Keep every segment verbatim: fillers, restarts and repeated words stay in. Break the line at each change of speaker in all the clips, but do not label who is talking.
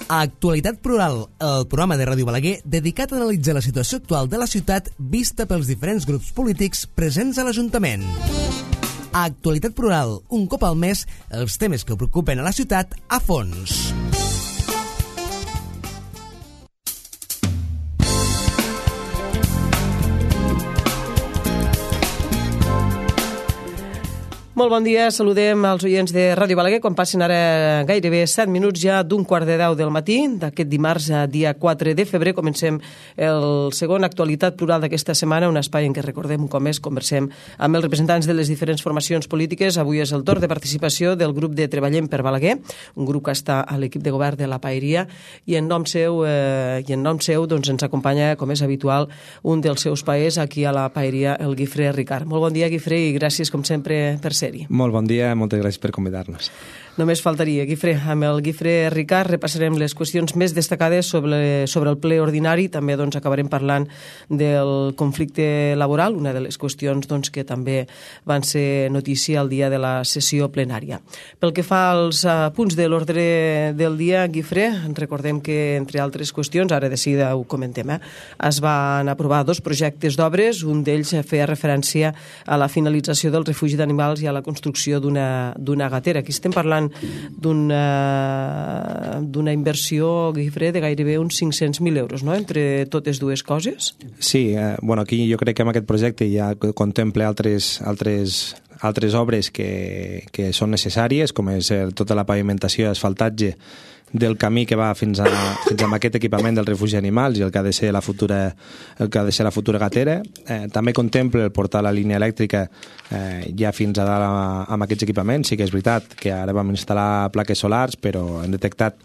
Actualitat Plural, el programa de Ràdio Balaguer dedicat a analitzar la situació actual de la ciutat vista pels diferents grups polítics presents a l'Ajuntament. Actualitat Plural, un cop al mes, els temes que preocupen a la ciutat a fons.
Molt bon dia, saludem als oients de Ràdio Balaguer quan passen ara gairebé set minuts ja d'un quart de deu del matí d'aquest dimarts, dia quatre de febrer. Comencem el segon Actualitat Plural d'aquesta setmana, un espai en què recordem un cop més, conversem amb els representants de les diferents formacions polítiques. Avui és el torn de participació del grup de Treballem per Balaguer, un grup que està a l'equip de govern de la Paeria, i en nom seu, eh, i en nom seu doncs, ens acompanya, com és habitual, un dels seus paers aquí a la Paeria, el Guifré Ricard. Molt bon dia, Guifré, i gràcies, com sempre, per ser.
Molt bon dia, moltes gràcies per convidar-nos.
Només faltaria, Guifré. Amb el Guifré Ricard repassarem les qüestions més destacades sobre, sobre el ple ordinari. També doncs, acabarem parlant del conflicte laboral, una de les qüestions doncs, que també van ser notícia el dia de la sessió plenària. Pel que fa als uh, punts de l'ordre del dia, Guifré, recordem que, entre altres qüestions, ara de seguida ho comentem, eh, es van aprovar dos projectes d'obres. Un d'ells feia referència a la finalització del refugi d'animals i a la construcció d'una d'una gatera. Aquí estem parlant d'una d'una inversió, Guifré, de gairebé uns cinc-cents mil euros, no?, entre totes dues coses.
Sí, eh, bueno, aquí jo crec que amb aquest projecte ja contempla altres, altres, altres obres que, que són necessàries, com és tota la pavimentació i asfaltatge del camí que va fins a, fins a aquest equipament del refugi d'animals i el que ha de ser la futura, el que ha de ser la futura gatera. Eh, també contempla el portar la línia elèctrica eh, ja fins a dalt amb aquests equipaments. Sí que és veritat que ara vam instal·lar plaques solars, però hem detectat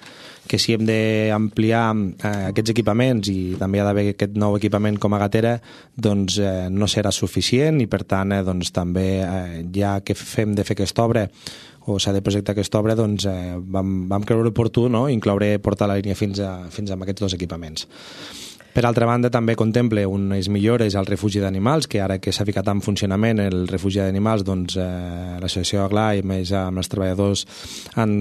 que si hem d'ampliar eh, aquests equipaments i també ha d'haver aquest nou equipament com a gatera, doncs eh, no serà suficient i per tant eh, doncs, també eh, ja que fem de fer aquesta obra o s'ha de projectar aquesta obra, doncs eh, vam, vam creure oportú, no?, incloure portar la línia fins a, fins a aquests dos equipaments. Per altra banda, també contempla unes millores al refugi d'animals, que ara que s'ha ficat en funcionament el refugi d'animals, doncs eh, l'associació Agla i més amb els treballadors han,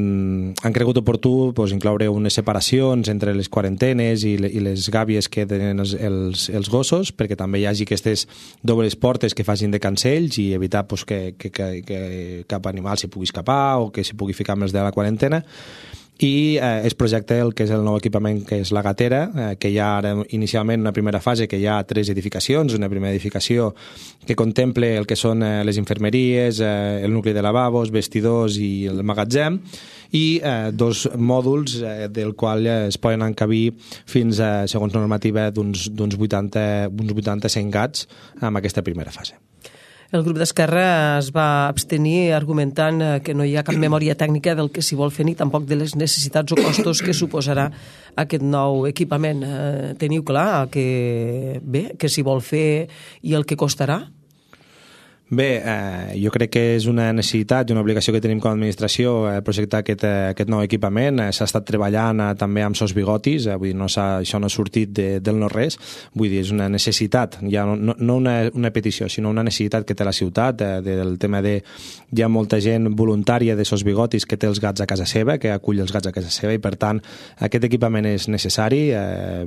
han cregut oportú doncs, incloure unes separacions entre les quarantenes i, le, i les gàbies que tenen els, els, els gossos, perquè també hi hagi aquestes dobles portes que facin de cancells i evitar doncs, que, que, que, que cap animal s'hi pugui escapar o que s'hi pugui ficar amb els de la quarantena. I eh, es projecta el que és el nou equipament, que és la gatera, eh, que hi ha ara inicialment una primera fase que hi ha tres edificacions, una primera edificació que contemple el que són eh, les infermeries, eh, el nucli de lavabos, vestidors i el magatzem, i eh, dos mòduls eh, del qual eh, es poden encabir fins a, segons normativa, d'uns vuitanta, uns vuitanta cent gats amb aquesta primera fase.
El grup d'Esquerra es va abstenir argumentant que no hi ha cap memòria tècnica del que s'hi vol fer ni tampoc de les necessitats o costos que suposarà aquest nou equipament. Teniu clar que, bé, que s'hi vol fer i el que costarà?
Bé, eh, jo crec que és una necessitat i una obligació que tenim com a administració eh, projectar aquest, eh, aquest nou equipament. Eh, s'ha estat treballant eh, també amb Sos Bigotis, eh, vull dir, no això no ha sortit de, del no-res, vull dir, és una necessitat, ja no, no una, una petició, sinó una necessitat que té la ciutat, eh, del tema de hi ha molta gent voluntària de Sos Bigotis que té els gats a casa seva, que acull els gats a casa seva, i per tant aquest equipament és necessari. Eh,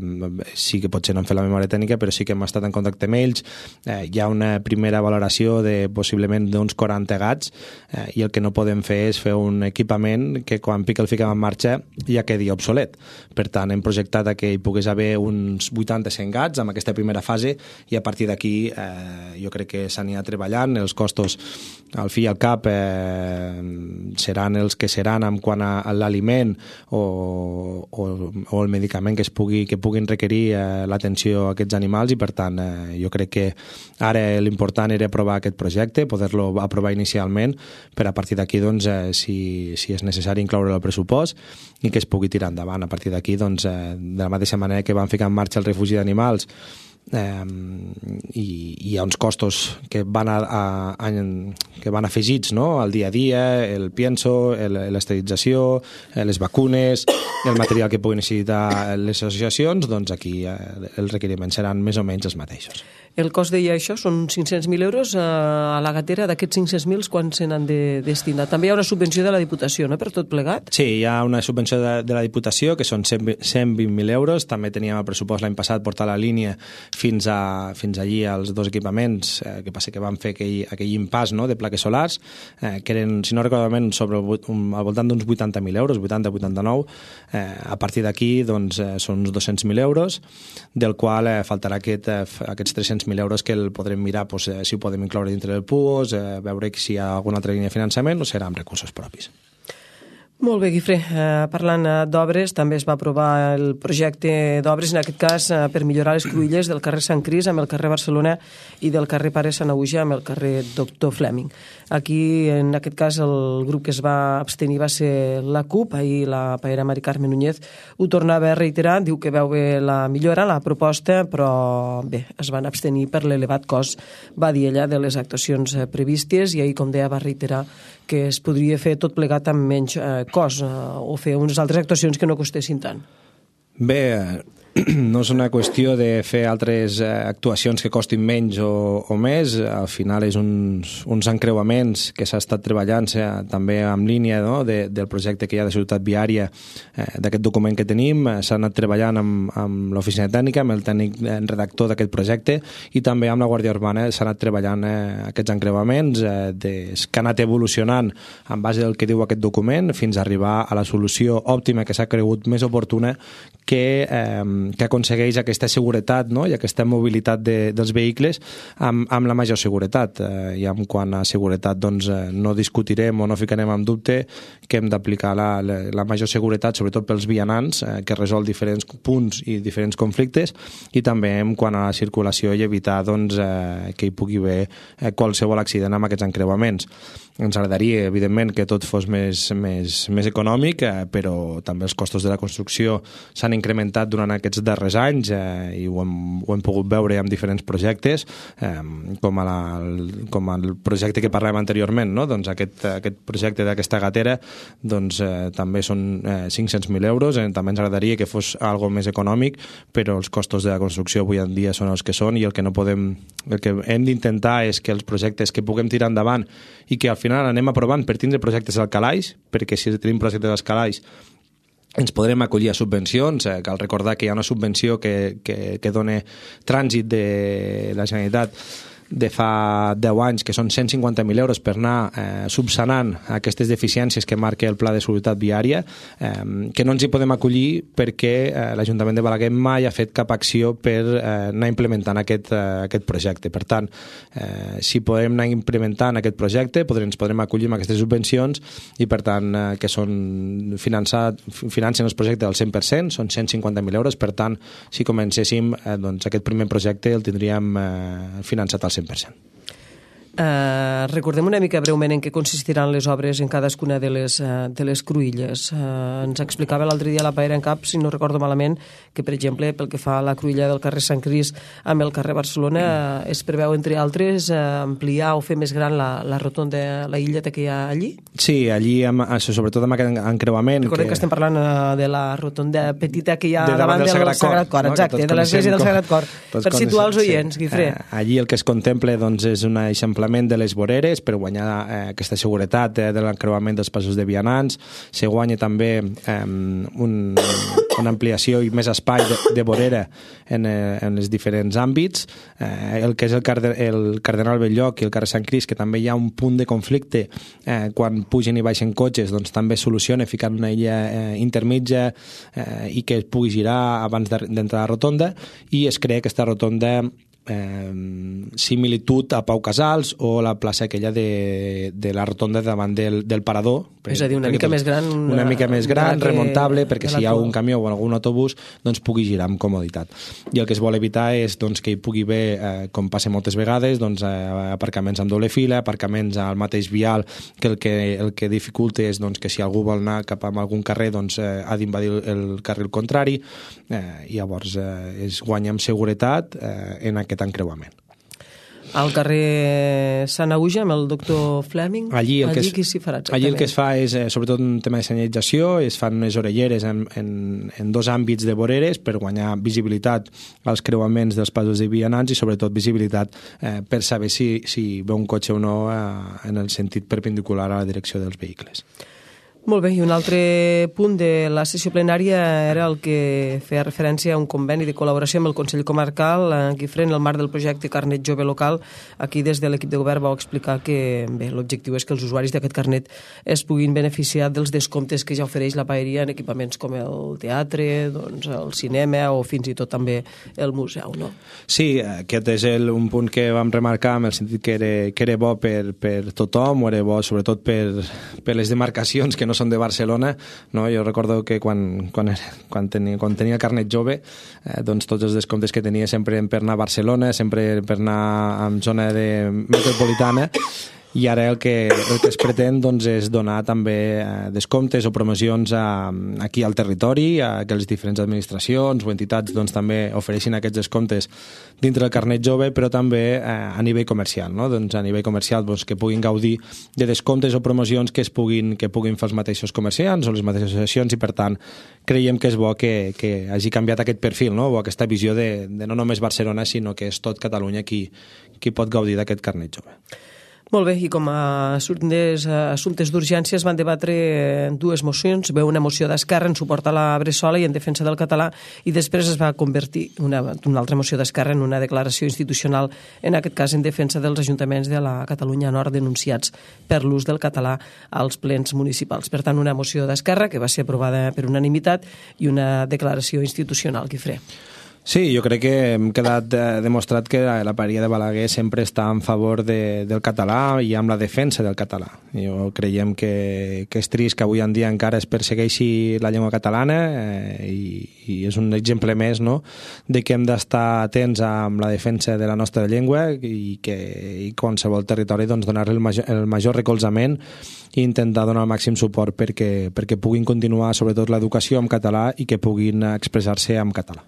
sí que potser no hem fet la memòria tècnica, però sí que hem estat en contacte amb ells. Eh, hi ha una primera valoració de possiblement d'uns quaranta gats eh, i el que no podem fer és fer un equipament que quan pica el fiquem en marxa ja quedi obsolet. Per tant, hem projectat que hi pogués haver uns vuitanta a cent gats amb aquesta primera fase i a partir d'aquí eh, jo crec que s'anirà treballant. Els costos al fi i al cap eh, seran els que seran en quant a, a l'aliment o, o, o el medicament que es pugui, que puguin requerir eh, l'atenció a aquests animals, i per tant eh, jo crec que ara l'important era aprovar aquest projecte, poder-lo aprovar inicialment per a partir d'aquí, doncs, eh, si, si és necessari incloure el pressupost i que es pugui tirar endavant. A partir d'aquí, doncs, eh, de la mateixa manera que van ficar en marxa el refugi d'animals eh, i hi ha uns costos que van, a, a, a, que van afegits, no?, al dia a dia, el pienso, l'esterilització, les vacunes, el material que puguin necessitar les associacions, doncs aquí eh, els requeriments seran més o menys els mateixos.
El cost, deia això, són cinc-cents mil euros. A la gatera, d'aquests cinc-cents mil, quan se n'han de destinar? També hi ha una subvenció de la Diputació, no?, per tot plegat?
Sí, hi ha una subvenció de, de la Diputació, que són cent vint mil euros. També teníem el pressupost l'any passat portar la línia fins, a, fins allí als dos equipaments, eh, que passa que van fer aquell, aquell impàs, no?, de plaques solars, eh, que eren, si no recordo malament, sobre el, un, al voltant d'uns vuitanta mil euros, vuitanta vuitanta-nou. Eh, a partir d'aquí, doncs, eh, són uns dos-cents mil euros, del qual eh, faltarà aquest, eh, aquests tres-cents mil euros que el podrem mirar, doncs, eh, si ho podem incloure dintre del P U O S, eh, veure si hi ha alguna altra línia de finançament o serà amb recursos propis.
Molt bé, Guifré. Eh, parlant d'obres, també es va aprovar el projecte d'obres, en aquest cas eh, per millorar les cruïlles del carrer Sant Cris amb el carrer Barcelona i del carrer Pare Sant Auja amb el carrer Doctor Fleming. Aquí, en aquest cas, el grup que es va abstenir va ser la CUP. Ahir la paella Mari Carme Núñez ho tornava a reiterar, diu que veu bé la millora, la proposta, però bé, es van abstenir per l'elevat cost, va dir ella, de les actuacions previstes, i ahir, com deia, va reiterar que es podria fer tot plegat amb menys eh, cost, eh, o fer unes altres actuacions que no costessin tant.
Bé, no és una qüestió de fer altres eh, actuacions que costin menys o, o més. Al final és uns, uns encreuaments que s'ha estat treballant eh, també en línia, no?, de, del projecte que hi ha de seguretat viària, eh, d'aquest document que tenim. Eh, s'ha anat treballant amb, amb l'oficina tècnica, amb el tècnic redactor d'aquest projecte, i també amb la Guàrdia Urbana s'ha anat treballant eh, aquests encreuaments eh, de, que han anat evolucionant en base del que diu aquest document fins a arribar a la solució òptima que s'ha cregut més oportuna, que eh, que aconsegueix aquesta seguretat, no?, i aquesta mobilitat de, dels vehicles amb, amb la major seguretat. Eh, I en quant a seguretat, doncs, eh, no discutirem o no ficarem en dubte que hem d'aplicar la, la, la major seguretat, sobretot pels vianants, eh, que resol diferents punts i diferents conflictes, i també en quant a la circulació i evitar, doncs, eh, que hi pugui haver eh, qualsevol accident amb aquests encreuaments. Ens agradaria, evidentment, que tot fos més, més, més econòmic, eh, però també els costos de la construcció s'han incrementat durant aquests darrers anys, eh, i ho hem, ho hem pogut veure amb diferents projectes, eh, com, a la, el, com el projecte que parlàvem anteriorment, no? Doncs aquest, aquest projecte d'aquesta gatera, doncs, eh, també són eh, cinc-cents mil euros. Eh, també ens agradaria que fos algo més econòmic, però els costos de la construcció avui en dia són els que són, i el que no podem, el que hem d'intentar és que els projectes que puguem tirar endavant i que al final anem aprovant per tindre projectes al calaix, perquè si tenim projectes al calaix ens podrem acollir a subvencions. Eh, cal recordar que hi ha una subvenció que, que, que dona trànsit de la Generalitat de fa deu anys, que són cent cinquanta mil euros per anar eh, subsanant aquestes deficiències que marca el Pla de Seguretat Viària, eh, que no ens hi podem acollir perquè eh, l'Ajuntament de Balaguer mai ha fet cap acció per eh, anar implementant aquest, eh, aquest projecte. Per tant, eh, si podem anar implementant aquest projecte, podrem, ens podrem acollir amb aquestes subvencions, i per tant, eh, que són finançat, financen els projectes al cent per cent, són cent cinquanta mil euros. Per tant, si comencéssim, eh, doncs aquest primer projecte el tindríem eh, finançat al cent per cent.
Uh, recordem una mica breument en què consistiran les obres en cadascuna de les, uh, de les cruïlles. Uh, ens explicava l'altre dia la Paera en Cap, si no recordo malament, que per exemple pel que fa a la cruïlla del carrer Sant Cris amb el carrer Barcelona uh, es preveu, entre altres, uh, ampliar o fer més gran la, la rotonda, la illeta que hi ha allí?
Sí, allí, amb, sobretot amb aquest encreuament.
Recordem que, que estem parlant uh, de la rotonda petita que hi ha
de
davant, davant del, del Sagrat Cor, Sagrat Cor, no? Exacte, de l'església del Sagrat Cor, per situar els oients, sí. Guifré.
Uh, allí el que es contempla, doncs, és un eixamplament de les voreres per guanyar eh, aquesta seguretat eh, de l'encreuament dels passos de vianants. Se guanya també eh, un, una ampliació i més espai de, de vorera en, eh, en els diferents àmbits. Eh, el que és el, Carde, el Cardenal Belllloc i el carrer Sant Cris, que també hi ha un punt de conflicte eh, quan pugen i baixen cotxes, doncs també es soluciona ficant una illa eh, intermitja eh, i que es pugui girar abans d'entrar a la rotonda, i es crea aquesta rotonda Eh, similitud a Pau Casals o la plaça aquella de, de la rotonda davant del, del parador.
És a dir, una mica més gran.
Una, una mica més gran, remuntable, perquè si hi ha algun camió o algun autobús, doncs pugui girar amb comoditat. I el que es vol evitar és, doncs, que hi pugui haver, eh, com passa moltes vegades, doncs, eh, aparcaments amb doble fila, aparcaments al mateix vial, que el que, el que dificulta és, doncs, que si algú vol anar cap a algun carrer, doncs, eh, ha d'invadir el carril contrari, eh, i llavors eh, es guanya amb seguretat eh, en aquest encreuament.
Al carrer Sant Auja, amb el doctor Fleming,
allí, el
allí
que es,
qui s'hi farà exactament?
Allí el que es fa és, eh, sobretot, un tema de senyalització, es fan unes orelleres en, en, en dos àmbits de voreres per guanyar visibilitat als creuaments dels passos de vianants i, sobretot, visibilitat eh, per saber si, si ve un cotxe o no eh, en el sentit perpendicular a la direcció dels vehicles.
Molt bé, i un altre punt de la sessió plenària era el que feia referència a un conveni de col·laboració amb el Consell Comarcal, en Guifré, en el marc del projecte Carnet Jove Local. Aquí, des de l'equip de govern, vau explicar que bé, l'objectiu és que els usuaris d'aquest carnet es puguin beneficiar dels descomptes que ja ofereix la paeria en equipaments com el teatre, doncs, el cinema o fins i tot també el museu, no?
Sí, aquest és el, un punt que vam remarcar en el sentit que era, que era bo per, per tothom, o era bo sobretot per, per les demarcacions que no són de Barcelona, no? Jo recordo que quan, quan, quan, tenia, quan tenia el carnet jove, eh, doncs tots els descomptes que tenia sempre per anar a Barcelona, sempre per anar en zona de metropolitana, i ara el que, el que es pretén doncs, és donar també eh, descomptes o promocions a, aquí al territori, a que les diferents administracions o entitats doncs, també ofereixin aquests descomptes dintre del carnet jove, però també eh, a nivell comercial, no? Doncs a nivell comercial doncs, que puguin gaudir de descomptes o promocions que es puguin, que puguin fer els mateixos comerciants o les mateixes associacions, i per tant creiem que és bo que, que hagi canviat aquest perfil, no? O aquesta visió de, de no només Barcelona, sinó que és tot Catalunya qui, qui pot gaudir d'aquest carnet jove.
Molt bé, i com a assumptes, assumptes d'urgència es van debatre dues mocions. Ve una moció d'Esquerra en suport a la Bressola i en defensa del català, i després es va convertir una, una altra moció d'Esquerra en una declaració institucional, en aquest cas en defensa dels ajuntaments de la Catalunya Nord denunciats per l'ús del català als plens municipals. Per tant, una moció d'Esquerra que va ser aprovada per unanimitat i una declaració institucional, Guifré.
Sí, jo crec que hem quedat eh, demostrat que la, la paeria de Balaguer sempre està en favor de, del català i amb la defensa del català. Jo creiem que, que és trist que avui en dia encara es persegueixi la llengua catalana, eh, i, i és un exemple més, no?, de que hem d'estar atents amb la defensa de la nostra llengua i que i qualsevol territori doncs, donar-li el major, el major recolzament i intentar donar el màxim suport perquè, perquè puguin continuar sobretot l'educació en català i que puguin expressar-se en català.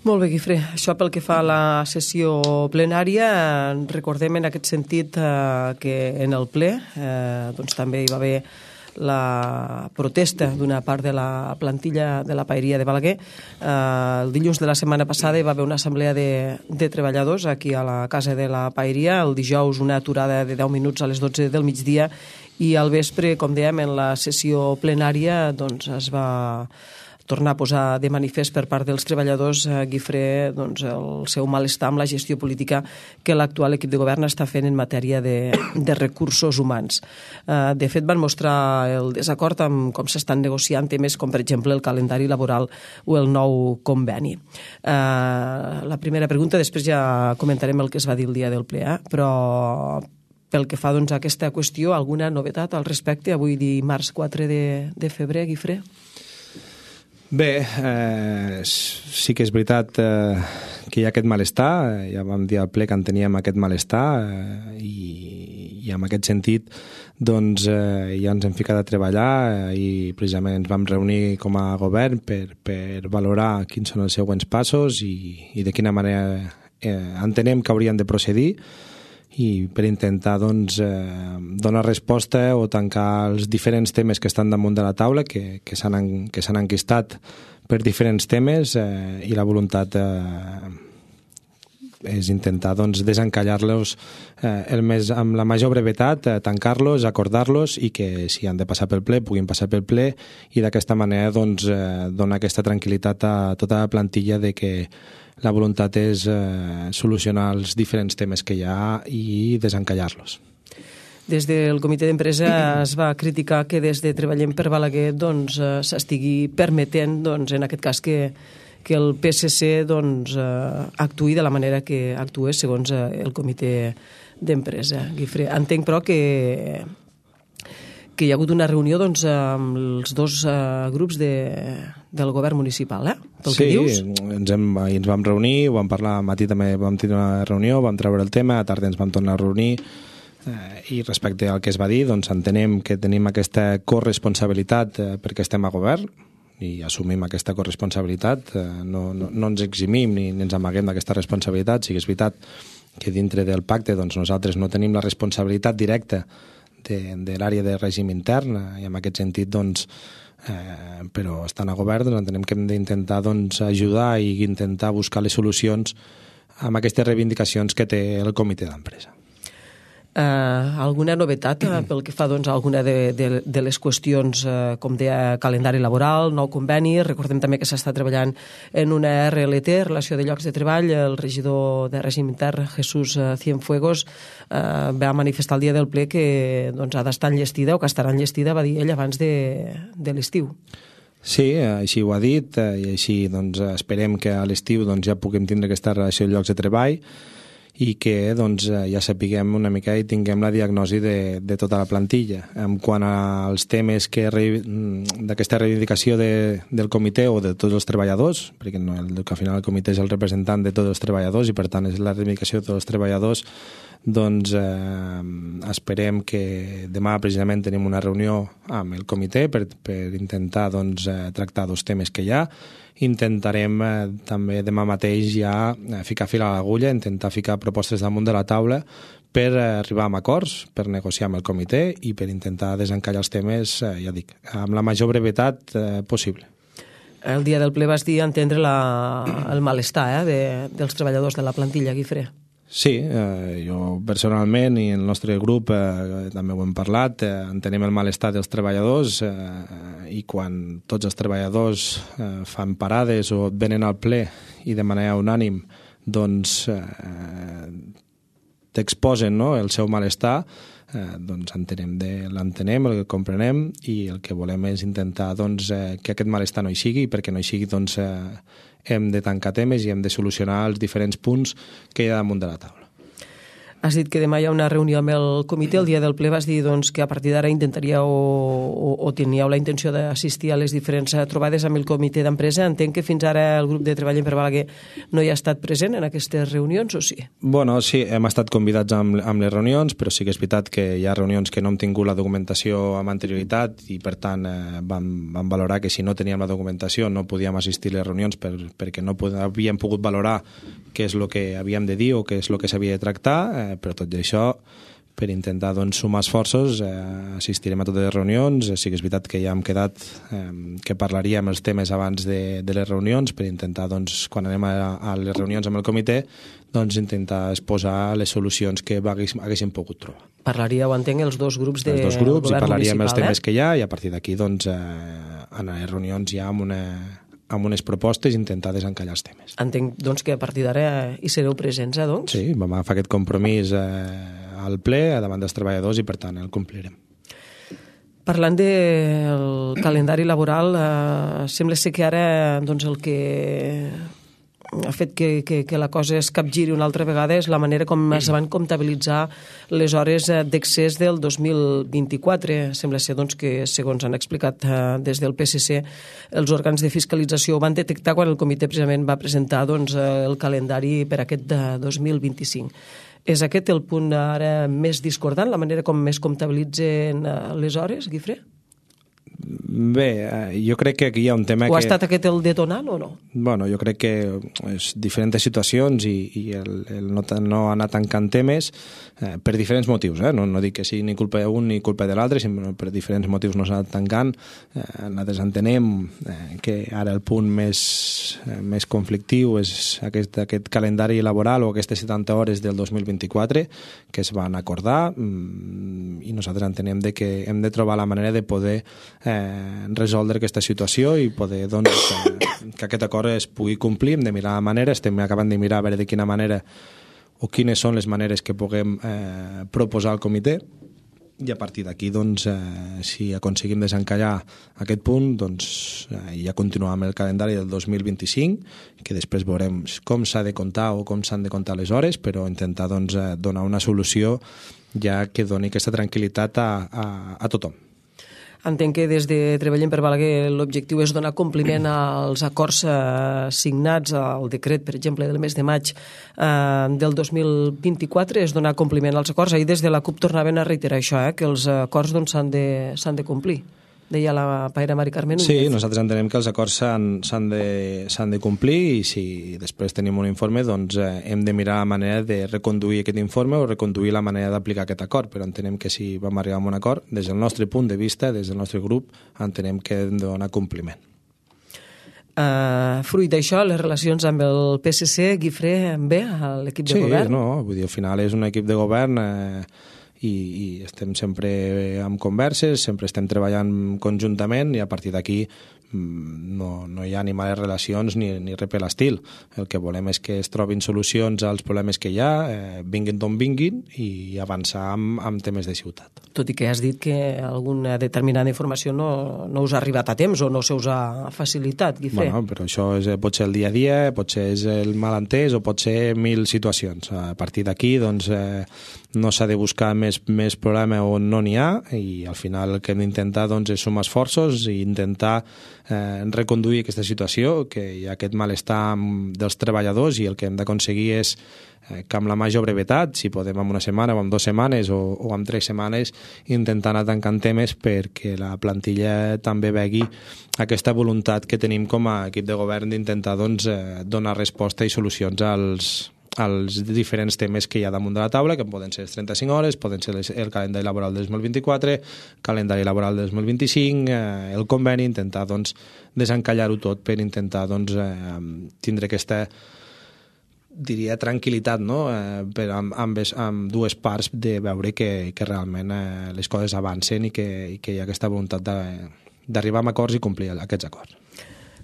Molt bé, Guifré. Això pel que fa a la sessió plenària. Recordem en aquest sentit eh, que en el ple eh, doncs també hi va haver la protesta d'una part de la plantilla de la paeria de Balaguer. Eh, el dilluns de la setmana passada hi va haver una assemblea de, de treballadors aquí a la casa de la paeria. El dijous una aturada de deu minuts a les dotze del migdia, i al vespre, com dèiem, en la sessió plenària doncs es va tornar a posar de manifest per part dels treballadors, eh, Guifré, doncs, el seu malestar amb la gestió política que l'actual equip de govern està fent en matèria de, de recursos humans. Eh, de fet, van mostrar el desacord amb com s'estan negociant temes com, per exemple, el calendari laboral o el nou conveni. Eh, la primera pregunta, després ja comentarem el que es va dir el dia del ple, eh? Però pel que fa doncs, a aquesta qüestió, alguna novetat al respecte? Avui dimarts quatre de, de febrer, Guifré?
Bé, eh, sí que és veritat eh, que hi ha aquest malestar. Ja vam dir al ple que en teníem aquest malestar, eh, i, i en aquest sentit doncs, eh, ja ens hem ficat a treballar, eh, i precisament ens vam reunir com a govern per, per valorar quins són els següents passos i, i de quina manera eh, entenem que haurien de procedir, i per intentar doncs, eh, donar resposta o tancar els diferents temes que estan damunt de la taula, que, que s'han que s'han enquistat per diferents temes, eh, i la voluntat eh, és intentar doncs, desencallar-los eh, el més, amb la major brevetat, eh, tancar-los, acordar-los, i que si han de passar pel ple, puguin passar pel ple, i d'aquesta manera doncs, eh, donar aquesta tranquil·litat a tota la plantilla de que la voluntat és eh, solucionar els diferents temes que hi ha i desencallar-los.
Des del comitè d'empresa es va criticar que des de Treballem per Balaguer doncs, s'estigui permetent, doncs, en aquest cas, que, que el P S C doncs, actuï de la manera que actua segons el comitè d'empresa. Guifré, entenc, però, que que hi ha hagut una reunió doncs, amb els dos uh, grups de, del govern municipal, eh? Pel
sí,
que dius?
ens, hem, ens vam reunir, ho vam parlar, al matí també vam tenir una reunió, vam treure el tema, a tarda ens vam tornar a reunir, eh, i respecte al que es va dir, doncs entenem que tenim aquesta corresponsabilitat eh, perquè estem a govern, i assumim aquesta corresponsabilitat, eh, no, no, no ens eximim ni ens amaguem d'aquesta responsabilitat. Sí que és veritat que dintre del pacte doncs, nosaltres no tenim la responsabilitat directa de, de l'àrea de règim intern, i en aquest sentit, doncs, eh, però estan a govern, doncs, entenem que hem d'intentar doncs, ajudar i intentar buscar les solucions amb aquestes reivindicacions que té el comitè d'empresa.
Uh, alguna novetat uh, pel que fa doncs, a alguna de, de, de les qüestions, uh, com deia, calendari laboral, nou conveni? Recordem també que s'està treballant en una R L T, relació de llocs de treball. El regidor de règim intern, Jesús Cienfuegos, uh, va manifestar el dia del ple que doncs, ha d'estar enllestida, o que estarà enllestida, va dir ell, abans de, de l'estiu.
Sí, així ho ha dit, i així doncs, esperem que a l'estiu doncs, ja puguem tindre aquesta relació de llocs de treball i que doncs, ja sapiguem una mica i tinguem la diagnosi de, de tota la plantilla. En quant als temes que d'aquesta reivindicació de, del comitè o de tots els treballadors, perquè no, el, que al final el comitè és el representant de tots els treballadors i per tant és la reivindicació de tots els treballadors, doncs eh, esperem que demà precisament tenim una reunió amb el comitè per, per intentar doncs, eh, tractar dos temes que hi ha. Intentarem eh, també demà mateix ja eh, ficar fil a l'agulla, intentar ficar propostes damunt de la taula per eh, arribar a acords, per negociar amb el comitè i per intentar desencallar els temes, eh, ja dic, amb la major brevetat eh, possible.
El dia del ple vas dir entendre la, el malestar eh, de, dels treballadors de la plantilla, Guifré.
Sí, eh, jo personalment i el nostre grup eh, també ho hem parlat, eh, entenem el malestar dels treballadors eh, i quan tots els treballadors eh, fan parades o venen al ple i de manera unànim doncs eh, t'exposen no, el seu malestar, eh, doncs entenem de, l'entenem, el comprenem i el que volem és intentar doncs, eh, que aquest malestar no hi sigui i perquè no hi sigui doncs eh, hem de tancar temes i hem de solucionar els diferents punts que hi ha damunt de la taula.
Has dit que demà hi ha una reunió amb el comitè. El dia del ple vas dir doncs, que a partir d'ara intentaríeu o, o teníeu la intenció d'assistir a les diferents trobades amb el comitè d'empresa. Entenc que fins ara el grup de treball en Per Balaguer no hi ha estat present en aquestes reunions, o sí?
Bueno, sí, hem estat convidats amb, amb les reunions, però sí que és veritat que hi ha reunions que no hem tingut la documentació amb anterioritat i per tant eh, vam, vam valorar que si no teníem la documentació no podíem assistir a les reunions per, perquè no pod- havíem pogut valorar què és el que havíem de dir o què és el que s'havia de tractar, eh, però tot i això, per intentar doncs, sumar esforços, eh, assistirem a totes les reunions. Sí que és veritat que ja hem quedat eh, que parlaríem els temes abans de, de les reunions per intentar, doncs, quan anem a, a les reunions amb el comitè, doncs, intentar exposar les solucions que haguéssim, haguéssim pogut trobar.
Parlaríeu, entenc, els dos grups de
els dos grups i parlaríem els temes
eh?
que hi ha i a partir d'aquí doncs, eh, en les reunions ja amb una... amb unes propostes i intentar desencallar els temes.
Entenc doncs, que a partir d'ara hi sereu presents, eh, doncs?
Sí, vam agafar aquest compromís eh, al ple davant dels treballadors i, per tant, el complirem.
Parlant del calendari laboral, eh, sembla ser que ara doncs, el que ha fet que, que, que la cosa es capgiri una altra vegada és la manera com es van comptabilitzar les hores d'excés del dos mil vint-i-quatre. Sembla ser doncs, que, segons han explicat eh, des del P S C, els òrgans de fiscalització ho van detectar quan el comitè precisament va presentar doncs, el calendari per aquest de dos mil vint-i-cinc. És aquest el punt ara més discordant, la manera com més comptabilitzen les hores, Guifré?
Bé, jo crec que aquí hi ha un tema
o
que...
O ha estat aquest el detonant o no?
Bueno, jo crec que és diferents situacions i, i el, el no, no anar tancant temes eh, per diferents motius. Eh? No, no dic que sigui ni culpa d'un ni culpa de l'altre, sinó per diferents motius no s'ha anat tancant. Eh, nosaltres entenem eh, que ara el punt més, eh, més conflictiu és aquest, aquest calendari laboral o aquestes setanta hores del dos mil vint-i-quatre que es van acordar mm, i nosaltres entenem de que hem de trobar la manera de poder Eh, resoldre aquesta situació i poder doncs, eh, que aquest acord es pugui complir. Hem de mirar la manera, estem acabant de mirar a veure de quina manera o quines són les maneres que puguem eh, proposar al comitè i a partir d'aquí doncs, eh, si aconseguim desencallar aquest punt doncs, eh, ja continuar amb el calendari del dos mil vint-i-cinc, que després veurem com s'ha de comptar o com s'han de comptar les hores, però intentar doncs, eh, donar una solució ja que doni aquesta tranquil·litat a, a, a tothom.
Entenc que des de Treballem per Balaguer l'objectiu és donar compliment als acords eh, signats al decret, per exemple, del mes de maig eh, del dos mil vint-i-quatre, és donar compliment als acords. Ahir des de la CUP tornaven a reiterar això, eh, que els acords doncs, s'han de, s'han de complir. deia la paera Mari Carmen Núñez.
Sí, nosaltres entenem que els acords s'han de, s'han de complir i si després tenim un informe doncs eh, hem de mirar la manera de reconduir aquest informe o reconduir la manera d'aplicar aquest acord, però entenem que si vam arribar a un acord, des del nostre punt de vista, des del nostre grup, entenem que hem de donar compliment.
Uh, fruit d'això, les relacions amb el P S C, Guifré, bé, l'equip de
sí,
govern?
Sí, no, vull dir, al final és un equip de govern eh, i, i estem sempre amb converses, sempre estem treballant conjuntament i a partir d'aquí no, no hi ha ni males relacions ni, ni res per l'estil. El que volem és que es trobin solucions als problemes que hi ha, eh, vinguin d'on vinguin i avançar amb, amb temes de ciutat.
Tot i que has dit que alguna determinada informació no, no us ha arribat a temps o no se us ha facilitat, Guifré.
Bueno, però això és, pot ser el dia a dia, pot ser el malentès o pot ser mil situacions. A partir d'aquí doncs, eh, no s'ha de buscar més, més problema on no n'hi ha i al final el que hem d'intentar doncs, és sumar esforços i intentar eh, reconduir aquesta situació, que hi ha aquest malestar dels treballadors i el que hem d'aconseguir és eh, que amb la major brevetat, si podem amb una setmana o amb dues setmanes o, o amb tres setmanes, intentar anar tancant temes perquè la plantilla també vegi aquesta voluntat que tenim com a equip de govern d'intentar doncs, eh, donar resposta i solucions als als diferents temes que hi ha damunt de la taula, que poden ser les trenta-cinc hores, poden ser les, el calendari laboral del dos mil vint-i-quatre, calendari laboral del dos mil vint-i-cinc, eh, el conveni, intentar doncs, desencallar-ho tot per intentar doncs, eh, tindre aquesta diria tranquil·litat, no? eh, per, amb, amb, amb dues parts de veure que, que realment eh, les coses avancen i que, i que hi ha aquesta voluntat d'arribar a acords i complir aquests acords.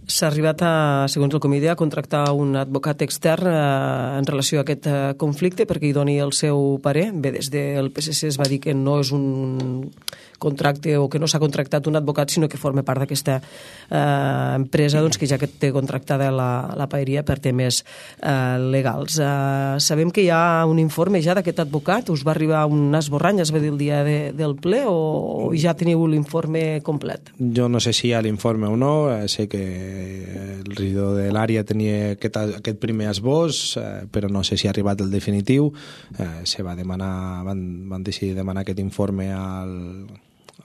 S'ha arribat, a, segons el comitè, a contractar un advocat extern eh, en relació a aquest eh, conflicte perquè hi doni el seu parer. Bé, des del P S C es va dir que no és un contracte o que no s'ha contractat un advocat, sinó que forma part d'aquesta eh, empresa doncs, que ja que té contractada la, la paeria per temes eh, legals. Eh, sabem que hi ha un informe ja d'aquest advocat, us va arribar un esborrany, es va dir el dia de, del ple, o, o ja teniu l'informe complet?
Jo no sé si hi ha l'informe o no, eh, sé que el regidor de l'àrea tenia aquest, aquest primer esbós, eh, però no sé si ha arribat el definitiu. Eh, se va demanar, van, van decidir demanar aquest informe al,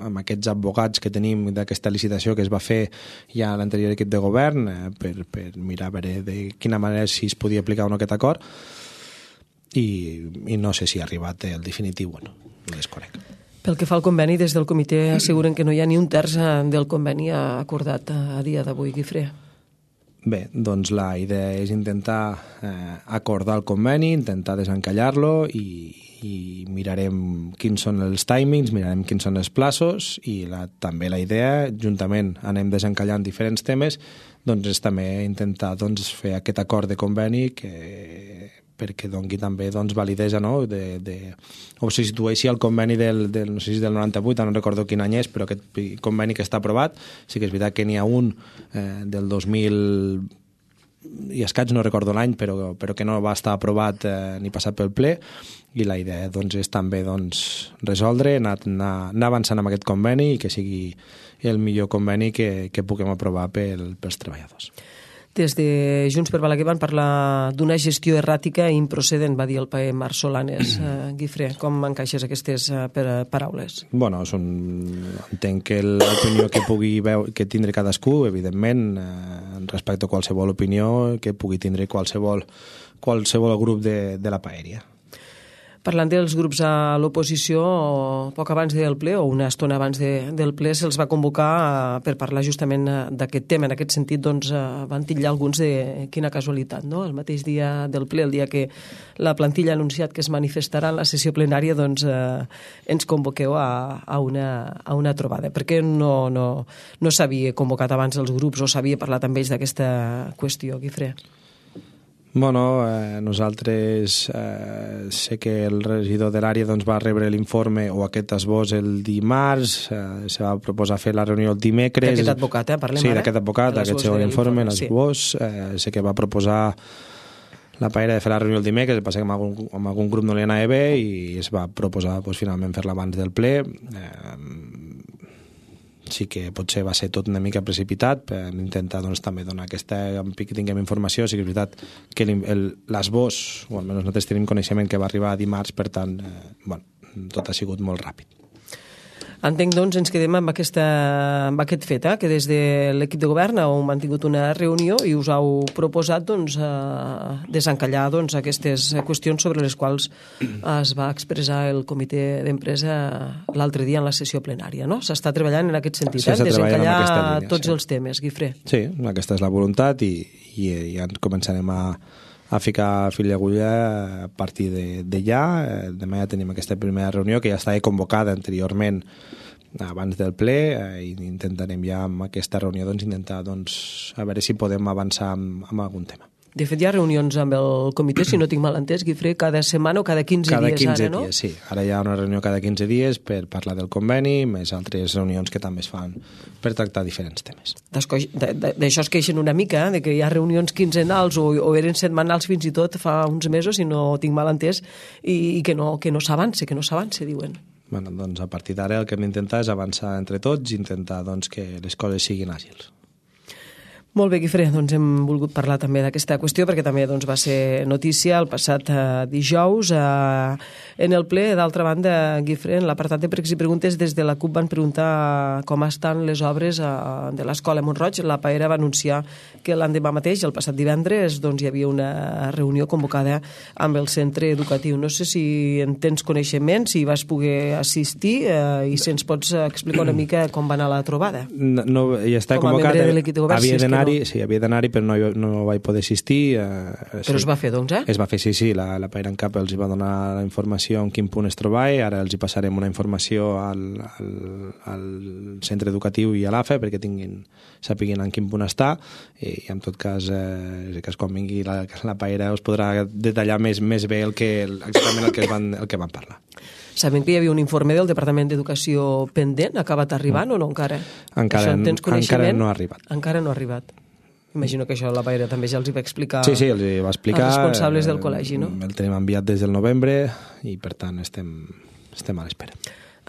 amb aquests advocats que tenim d'aquesta licitació que es va fer ja a l'anterior equip de govern eh, per, per mirar a veure de quina manera si es podia aplicar o no aquest acord i, i no sé si ha arribat el definitiu o no, ho desconec.
Pel que fa al conveni, des del comitè asseguren que no hi ha ni un terç del conveni acordat a dia d'avui, Guifré.
Bé, doncs la idea és intentar eh, acordar el conveni, intentar desencallar-lo i, i mirarem quins són els timings, mirarem quins són els plaços i la, també la idea, juntament anem desencallant diferents temes, doncs és també intentar doncs, fer aquest acord de conveni que perquè doni també doncs, validesa, no? de, de, o se situeixi el conveni del, del, no sé si del noranta-vuit, no recordo quin any és, però aquest conveni que està aprovat, sí que és veritat que n'hi ha un eh, del dos mil i escaig, no recordo l'any, però, però que no va estar aprovat eh, ni passat pel ple, i la idea doncs, és també doncs, resoldre, anar, anar, anar avançant amb aquest conveni i que sigui el millor conveni que, que puguem aprovar pel, pels treballadors.
Des de Junts per Balaguer van parlar d'una gestió erràtica i improcedent, va dir el paer Marc Solanes. Uh, Guifré, com encaixes aquestes uh, paraules?
Bueno, són, entenc que l'opinió que pugui veure, que tindre cadascú, evidentment, eh, respecte a qualsevol opinió que pugui tindre qualsevol, qualsevol grup de, de la paeria.
Parlant dels grups a l'oposició, poc abans del ple, o una estona abans de, del ple, se'ls va convocar per parlar justament d'aquest tema. En aquest sentit, doncs, van titllar alguns de quina casualitat, no? El mateix dia del ple, el dia que la plantilla ha anunciat que es manifestarà en la sessió plenària, doncs eh, ens convoqueu a, a, una, a una trobada. Per què no, no, no s'havia convocat abans els grups o s'havia parlat amb ells d'aquesta qüestió, Guifré?
Bueno, eh, nosaltres eh, sé que el regidor de l'àrea doncs, va rebre l'informe o aquest esbós el dimarts, eh, se va proposar fer la reunió el dimecres.
D'aquest advocat, eh? Parlem
sí,
ara.
Sí, d'aquest advocat, aquest segon informe, l'esbós. Sí. Eh, sé que va proposar la paera de fer la reunió el dimecres, passa que amb algun, amb algun grup no li anava bé i es va proposar doncs, finalment fer-la abans del ple. Eh, sí que potser va ser tot una mica precipitat per intentar doncs, també donar aquesta que tinguem informació. Sí que és veritat que l'esbós, o almenys nosaltres tenim coneixement que va arribar dimarts, per tant, eh, bueno, tot ha sigut molt ràpid.
Entenc, doncs, ens quedem amb, aquesta, amb aquest fet, eh? Que des de l'equip de govern heu mantingut una reunió i us heu proposat doncs, eh, desencallar doncs, aquestes qüestions sobre les quals es va expressar el comitè d'empresa l'altre dia en la sessió plenària, no? S'està treballant en aquest sentit,
sí,
eh? Desencallar
línia,
tots
sí.
els temes, Guifré.
Sí, aquesta és la voluntat i, i ja ens començarem a a ficar fil i agulla a partir de, de ja. Demà ja tenim aquesta primera reunió que ja estava convocada anteriorment abans del ple eh, i intentarem ja amb aquesta reunió doncs, intentar doncs, a veure si podem avançar amb, amb algun tema.
De fet, hi ha reunions amb el comitè, si no tinc mal entès, Guifré, cada setmana o cada quinze
cada
dies
quinze
ara, no?
Dies, sí. Ara hi ha una reunió cada quinze dies per parlar del conveni, més altres reunions que també es fan per tractar diferents temes.
D'això es queixen una mica, eh? De que hi ha reunions quinzenals o, o eren setmanals fins i tot fa uns mesos, si no tinc mal entès, i, i que no, que no s'avance, que no s'avance, diuen.
Bueno, doncs a partir d'ara el que hem d'intentar és avançar entre tots i intentar doncs, que les coses siguin àgils.
Molt bé, Guifré, doncs hem volgut parlar també d'aquesta qüestió perquè també doncs, va ser notícia el passat eh, dijous eh, en el ple. D'altra banda, Guifré, en l'apartat de pregs i preguntes des de la CUP van preguntar com estan les obres eh, de l'escola Montroig. La Paera va anunciar que l'endemà mateix, el passat divendres, doncs, hi havia una reunió convocada amb el centre educatiu. No sé si en tens coneixement, si vas poder assistir eh, i si ens pots explicar una mica com va anar la trobada.
No, no ja està
com
convocat.
A membre de l'equip de govern,
havia
si
d'anar
No.
Sí, havia d'anar-hi, però no, no vaig poder assistir. Eh,
però
sí.
es va fer, doncs, eh?
Es va fer, sí, sí. La, la Paera en Cap els hi va donar la informació en quin punt es trobava, ara els hi passarem una informació al, al, al centre educatiu i a l'A F E perquè tinguin, sapiguin en quin punt està i, i en tot cas, eh, que quan vingui la, la Paera us podrà detallar més, més bé el que, exactament el que, van, el que van parlar.
Sabem que hi havia un informe del Departament d'Educació pendent, ha acabat arribant no. o no encara?
Encara, encara no ha arribat.
Encara no ha arribat. Imagino que això la Paera també ja els hi va explicar,
sí, sí, els hi va explicar
als responsables del col·legi, no?
El tenim enviat des del novembre i per tant estem, estem a l'espera.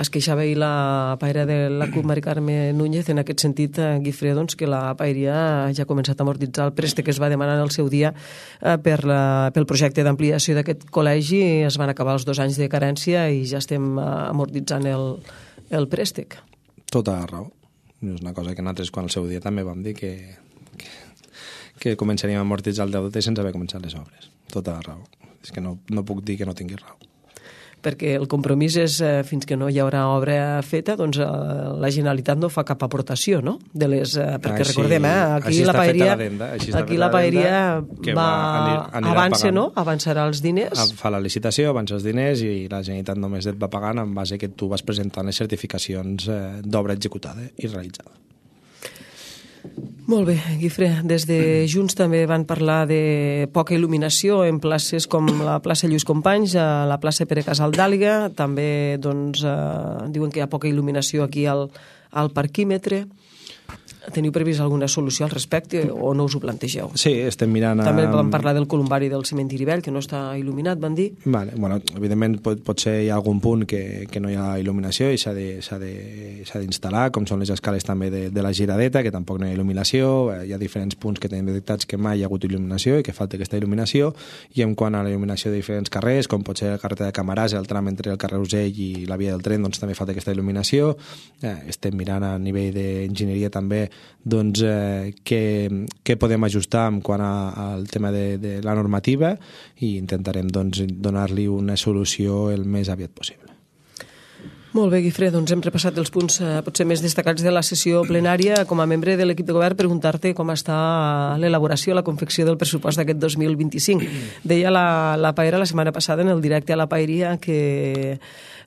Es queixava ahir la Paera de la CUP, Mari Carme Núñez, en aquest sentit, Guifré, doncs, que la Paeria ja ha començat a amortitzar el préstec que es va demanar en el seu dia eh, per la, pel projecte d'ampliació d'aquest col·legi. Es van acabar els dos anys de carència i ja estem eh, amortitzant el, el préstec.
Tota la raó. És una cosa que nosaltres quan al seu dia també vam dir que, que, que començaríem a amortitzar el deute sense haver començat les obres. Tota la raó. És que no, no puc dir que no tingui raó.
Perquè el compromís és, eh, fins que no hi haurà obra feta, doncs eh, la Generalitat no fa cap aportació, no? De les, eh, perquè així, recordem, eh, aquí la Paeria, aquí la Paeria va, va avança, no? Avançarà els diners.
Fa la licitació, avança els diners i la Generalitat només et va pagant en base que tu vas presentant les certificacions eh, d'obra executada i realitzada.
Molt bé, Guifré. Des de Junts també van parlar de poca il·luminació en places com la plaça Lluís Companys, a la plaça Pere Casal d'Àliga. També doncs, eh, diuen que hi ha poca il·luminació aquí al, al parquímetre. Teniu previst alguna solució al respecte o no us ho plantegeu?
Sí, estem mirant... A...
També vam parlar del columbari del cementiri vell, que no està il·luminat, van dir.
Vale, bueno, evidentment pot, potser hi ha algun punt que, que no hi ha il·luminació i s'ha d'instal·lar, com són les escales també de, de la giradeta, que tampoc no hi ha il·luminació. Hi ha diferents punts que tenim detectats que mai hi ha hagut il·luminació i que falta aquesta il·luminació. I en quant a la il·luminació de diferents carrers, com pot ser el carrer de Camarasa, el tram entre el carrer Usell i la via del tren, doncs també falta aquesta il·luminació. Eh, estem mirant a nivell d'enginyeria també doncs, eh, què, què podem ajustar en quant a, al tema de, de la normativa i intentarem doncs, donar-li una solució el més aviat possible.
Molt bé, Guifré, doncs hem repassat els punts eh, potser més destacats de la sessió plenària. Com a membre de l'equip de govern, preguntar-te com està l'elaboració, la confecció del pressupost d'aquest dos mil vint-i-cinc. Deia la, la Paera la setmana passada en el directe a la Paeria que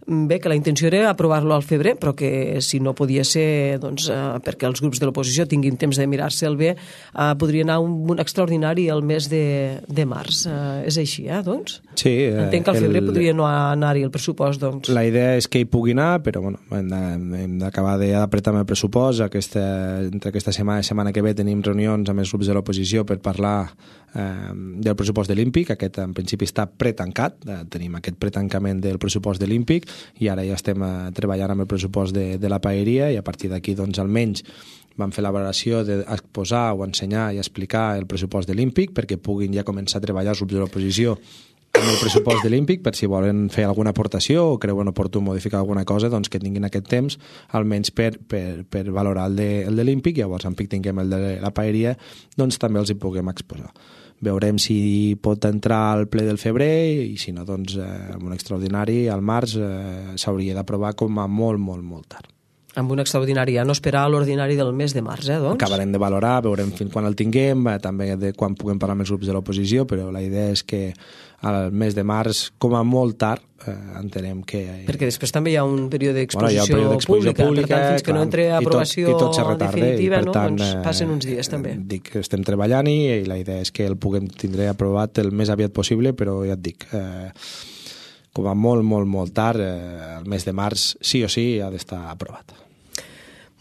bé, que la intenció era aprovar-lo al febrer, però que si no podia ser, doncs, eh, perquè els grups de l'oposició tinguin temps de mirar-se'l bé, eh, podria anar un, un extraordinari el mes de, de març. Eh, és així, eh, doncs?
Sí. Eh,
Entenc que al febrer el, podria no anar-hi el pressupost, doncs.
La idea és que hi pugui anar, però bueno, hem d'acabar d'apretar amb el pressupost. Aquesta, entre aquesta setmana i setmana que ve tenim reunions amb els grups de l'oposició per parlar eh, del pressupost de l'Ímpic. Aquest en principi està pretancat, eh, tenim aquest pretancament del pressupost de l'Ímpic i ara ja estem eh, treballant amb el pressupost de, de la Paeria i a partir d'aquí doncs almenys vam fer la valoració d'exposar o ensenyar i explicar el pressupost de l'Ímpic perquè puguin ja començar a treballar els grups de l'oposició en el pressupost de l'Olímpic per si volen fer alguna aportació o creuen oportú modificar alguna cosa, doncs que tinguin aquest temps almenys per, per, per valorar el de, el de l'Olímpic, llavors en pic tinguem el de la paeria, doncs també els hi puguem exposar. Veurem si pot entrar al ple del febrer i si no, doncs eh, amb un extraordinari al març eh, s'hauria d'aprovar com a molt, molt, molt tard.
Amb un extraordinari, ja no esperar l'ordinari del mes de març, eh, doncs?
Acabarem de valorar, veurem fins quan el tinguem, eh, també de quan puguem parlar amb els grups de l'oposició, però la idea és que al mes de març, com a molt tard, eh, entenem que...
Perquè després també hi ha un període d'exposició
bueno,
pública,
pública,
per tant, fins que
clar,
no entre a aprovació
i tot, i tot retarda,
definitiva,
i,
no?
tant,
doncs passen uns dies, també.
Eh, dic que estem treballant i, i la idea és que el puguem tindre aprovat el més aviat possible, però ja et dic... Eh, com a molt, molt, molt tard, eh, el mes de març, sí o sí, ha d'estar aprovat.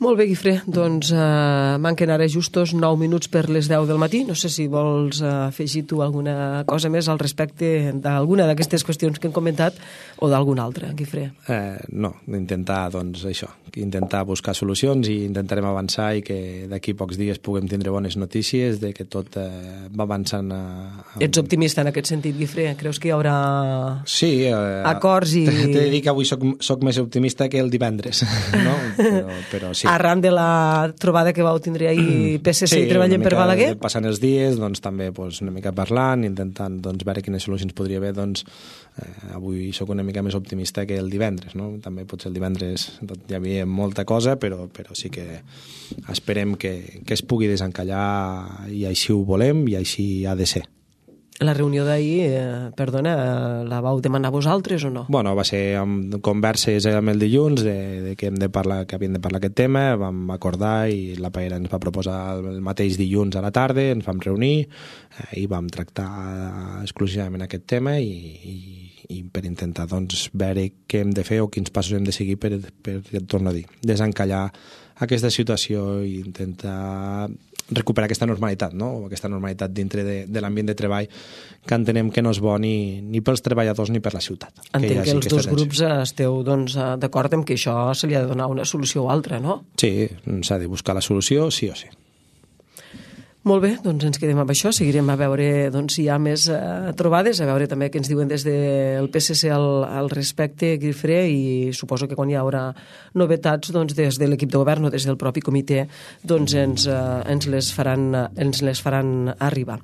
Molt bé, Guifré, doncs eh, manquen ara justos nou minuts per les deu del matí. No sé si vols eh, afegir tu alguna cosa més al respecte d'alguna d'aquestes qüestions que hem comentat o d'alguna altra, Guifré.
Eh, no, intentar, doncs, això, intentar buscar solucions i intentarem avançar i que d'aquí pocs dies puguem tindre bones notícies de que tot eh, va avançant a, a...
Ets optimista en aquest sentit, Guifré? Creus que hi haurà
sí, eh,
acords i...
T'he de dir que avui soc, soc més optimista que el divendres, no? Però, però sí.
Arran de la trobada que vau tindre ahir P S C sí, i Treballem per Balaguer?
Passant els dies, doncs també doncs, una mica parlant, intentant doncs, veure quines solucions podria haver, doncs eh, avui sóc una mica més optimista que el divendres, no? També potser el divendres tot, hi havia molta cosa, però, però sí que esperem que, que es pugui desencallar i així ho volem i així ha de ser.
La reunió d'ahir, eh, perdona, la vau demanar vosaltres o no?
Bueno, va ser amb converses amb el dilluns de, de que hem de parlar, que havíem de parlar aquest tema, vam acordar i la paella ens va proposar el mateix dilluns a la tarda, ens vam reunir eh, i vam tractar exclusivament aquest tema i, i, i per intentar doncs, veure què hem de fer o quins passos hem de seguir per, per, per torno a dir, desencallar aquesta situació i intentar recuperar aquesta normalitat, no? Aquesta normalitat dintre de, de l'ambient de treball que entenem que no és bo ni, ni pels treballadors ni per la ciutat.
Entenc que, que els dos tensió. grups esteu doncs, d'acord amb que això se li ha de donar una solució o altra, no?
Sí, s'ha de buscar la solució sí o sí.
Molt bé, doncs ens quedem amb això, seguirem a veure doncs, si hi ha més eh, trobades, a veure també què ens diuen des del P S C al, al respecte, Guifré, i suposo que quan hi haurà novetats doncs, des de l'equip de govern o des del propi comitè doncs, ens, eh, ens, les faran, ens les faran arribar.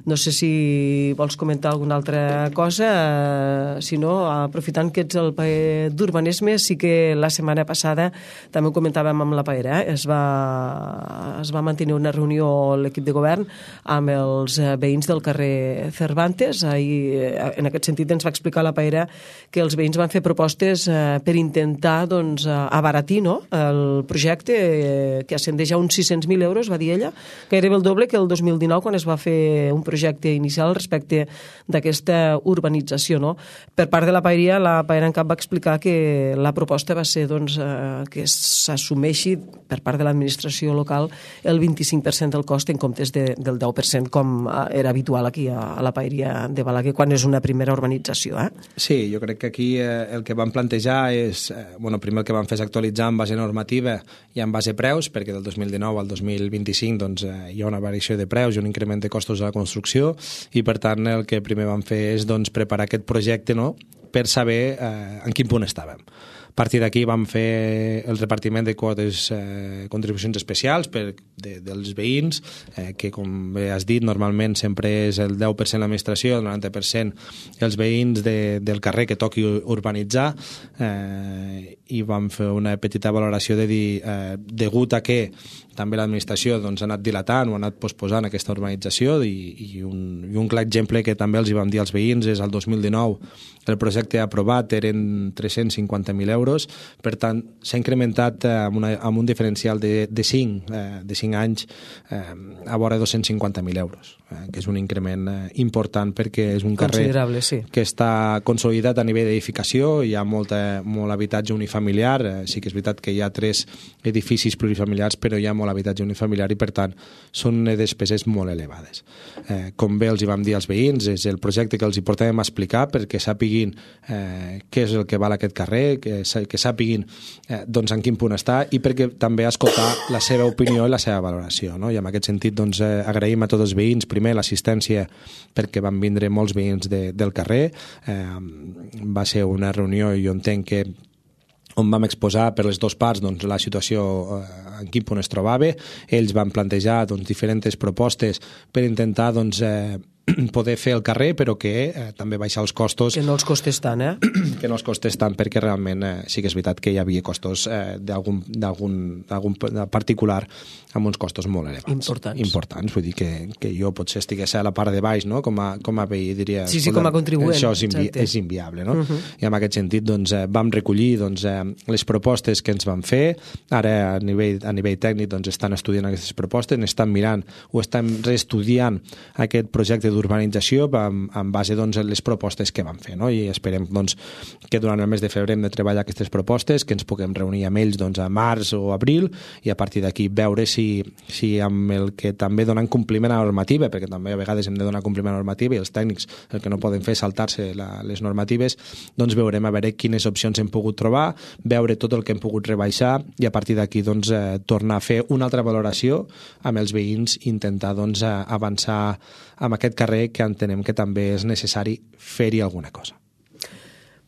No sé si vols comentar alguna altra cosa, eh, si no, aprofitant que ets el paer d'urbanisme, sí que la setmana passada, també ho comentàvem amb la paera, eh, es, va, es va mantenir una reunió a l'equip de govern amb els veïns del carrer Cervantes. Ahir, en aquest sentit, ens va explicar la paera que els veïns van fer propostes eh, per intentar doncs, abaratir no? el projecte, eh, que ascendeix a uns sis-cents mil euros, va dir ella, gairebé el doble que el dos mil dinou quan es va fer un projecte projecte inicial respecte d'aquesta urbanització. No? Per part de la paeria, la paera en cap va explicar que la proposta va ser doncs, eh, que s'assumeixi per part de l'administració local el vint-i-cinc per cent del cost en comptes de, del deu per cent com era habitual aquí a, a la paeria de Balaguer quan és una primera urbanització. Eh?
Sí, jo crec que aquí eh, el que vam plantejar és, eh, bueno, primer el que vam fer és actualitzar en base normativa i en base preus, perquè del dos mil dinou al dos mil vint-i-cinc doncs, eh, hi ha una variació de preus i un increment de costos de la construcció i per tant el que primer vam fer és doncs, preparar aquest projecte no? per saber eh, en quin punt estàvem. A partir d'aquí vam fer el repartiment de quotes, eh, contribucions especials per, de, dels veïns, eh, que com bé has dit, normalment sempre és el deu per cent l'administració, el noranta per cent els veïns de, del carrer que toqui urbanitzar, eh, i vam fer una petita valoració de dir, eh, degut a que també l'administració doncs, ha anat dilatant o ha anat posposant aquesta urbanització i, i, un, i un clar exemple que també els hi vam dir als veïns és el dos mil dinou el projecte aprovat eren tres-cents cinquanta mil euros, per tant s'ha incrementat eh, amb, una, amb un diferencial de, de, cinc, eh, de cinc anys eh, a vora dos-cents cinquanta mil euros, eh, que és un increment eh, important perquè és un carrer
sí.
que està consolidat a nivell d'edificació, hi ha molta, molt habitatge unifamiliar, eh, sí que és veritat que hi ha tres edificis plurifamiliars però hi ha molt molt habitatge unifamiliar i, per tant, són despeses molt elevades. Eh, com bé els hi vam dir als veïns, és el projecte que els hi portàvem a explicar perquè sàpiguin eh, què és el que val aquest carrer, que, que sàpiguin eh, doncs, en quin punt està i perquè també escoltar la seva opinió i la seva valoració. No? I en aquest sentit doncs, eh, agraïm a tots els veïns, primer l'assistència perquè van vindre molts veïns de, del carrer. Eh, va ser una reunió i jo entenc que on vam exposar per les dues parts doncs, la situació en quin punt es trobava. Ells van plantejar doncs, diferents propostes per intentar doncs, eh, poder fer el carrer, però que eh, també baixar els costos.
Que no els costés tant, eh?
Que no els costés tant, perquè realment eh, sí que és veritat que hi havia costos eh, d'algun particular amb uns costos molt elevats.
Importants.
Importants, vull dir que, que jo potser estigués a la part de baix, no? com, a, com a veí diria...
Sí, sí, com a contribuent.
Això és, invi és inviable, no? Uh -huh. I en aquest sentit doncs, eh, vam recollir doncs, eh, les propostes que ens van fer. Ara a nivell, a nivell tècnic doncs, estan estudiant aquestes propostes, n'estan mirant o estan reestudiant aquest projecte d'urbanització en, en base doncs, a les propostes que van fer, no? I esperem doncs, que durant el mes de febrer hem de treballar aquestes propostes, que ens puguem reunir amb ells doncs, a març o abril i a partir d'aquí veure si, si amb el que també donen compliment a la normativa, perquè també a vegades hem de donar compliment a la normativa i els tècnics el que no poden fer és saltar-se la, les normatives, doncs veurem a veure quines opcions hem pogut trobar, veure tot el que hem pogut rebaixar i a partir d'aquí doncs, eh, tornar a fer una altra valoració amb els veïns i intentar doncs, avançar amb aquest carrer que entenem que també és necessari fer-hi alguna cosa.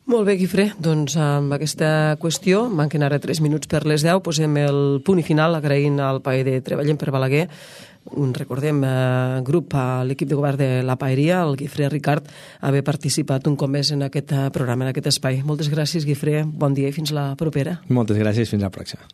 Molt bé, Guifré, doncs amb aquesta qüestió, manquen ara tres minuts per les deu, posem el punt i final agraint al P A E de Treballem per Balaguer, un, recordem, eh, grup a l'equip de govern de la Paeria, el Guifré Ricard, haver participat un cop més en aquest programa, en aquest espai. Moltes gràcies, Guifré, bon dia i fins la propera.
Moltes gràcies, fins la pròxima.